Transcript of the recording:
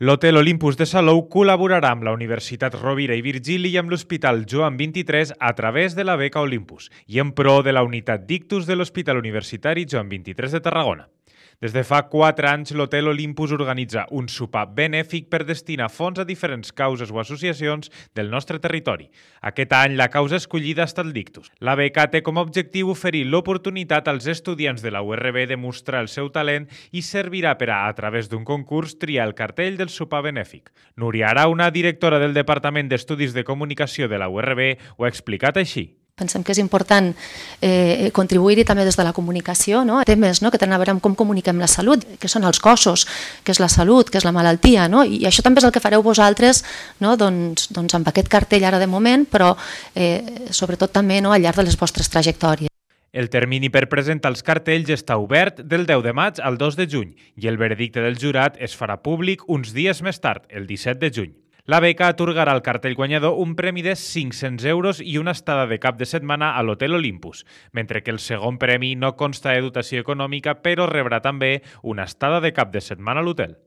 L'Hotel Olympus de Salou col·laborarà amb la Universitat Rovira i Virgili i amb l'Hospital Joan XXIII a través de la beca Olympus i en pro de la unitat d'ictus de l'Hospital Universitari Joan XXIII de Tarragona. Des de fa 4 anys, l'Hotel Olympus organitza un sopar benèfic per destinar fons a diferents causes o associacions del nostre territori. Aquest any, la causa escollida ha estat l'ictus. La beca té com a objectiu oferir l'oportunitat als estudiants de la URB de mostrar el seu talent i servirà per a través d'un concurs, triar el cartell del sopar benèfic. Núria Arauna, directora del Departament d'Estudis de Comunicació de la URB, ho ha explicat així. Pensem que és important contribuir-hi també des de la comunicació, temes que tenen a veure amb com comuniquem la salut, que són els cossos, que és la salut, que és la malaltia, i això també és el que fareu vosaltres doncs amb aquest cartell ara de moment, però sobretot també al llarg de les vostres trajectòries. El termini per presentar els cartells està obert del 10 de maig al 2 de juny i el veredicte del jurat es farà públic uns dies més tard, el 17 de juny. La beca atorgarà al cartell guanyador un premi de 500 euros i una estada de cap de setmana a l'Hotel Olympus, mentre que el segon premi no consta de dotació econòmica, però rebrà també una estada de cap de setmana a l'hotel.